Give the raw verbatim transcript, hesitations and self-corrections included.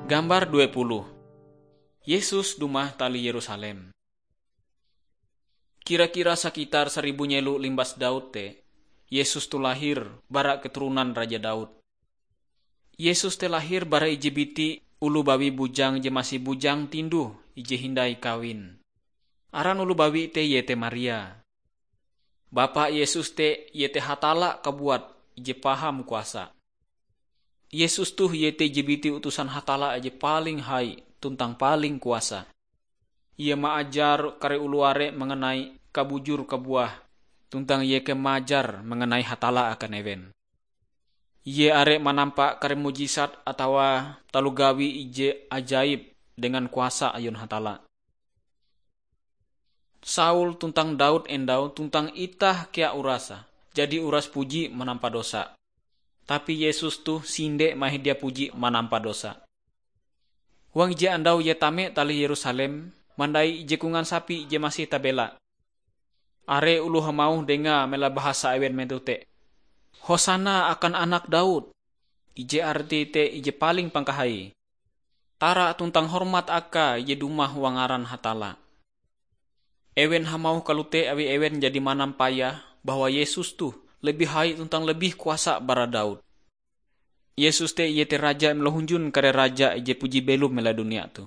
Gambar dua puluh. Yesus dumah tali Yerusalem. Kira-kira sakitar saribu nyelo limbas Daud te, Yesus toh lahir bara keturunan Raja Daud. Yesus te lahir bara ije biti oloh bawi bujang je masih bujang tinduh ije hindai kawin. Aran oloh bawi te iete Maria. Bapa Yesus te iete Hatalla kabuat ije paham kuasa. Yesus toh iete ije biti utusan Hatalla je paling hai tuntang paling kuasa. Ie maajar kare oloh are mengenai kabujur kabuah, tuntang ie kea maajar mengenai Hatalla akan ewen. Ie are manampa kare mujisat atawa taloh gawi ije ajaib dengan kuasa ayun Hatalla. Saul tuntang Daud endau tuntang itah kea urasa, jadi uras puji manampa dosa. Tapi Yesus toh sinde mahin dia puji manampa dosa. Huang ije andau ie tame tali Yerusalem, mandai ije kongan sapi je masih tabela. Are oloh hamauh dengae mela bahasa ewen metoh te, "Hosana akan Anak Daud!" Ije arti te ije paling pangkahai. Tara tuntang hormat akae ije dumah huang ngaran Hatalla. Ewen hamauh kalote awi ewen jadi manampayah bahwa Yesus toh lebih hai tuntang lebih kuasa bara Daud. Yesus te iete Raja je malohunjun kare raja ije puji belom mela dunia toh.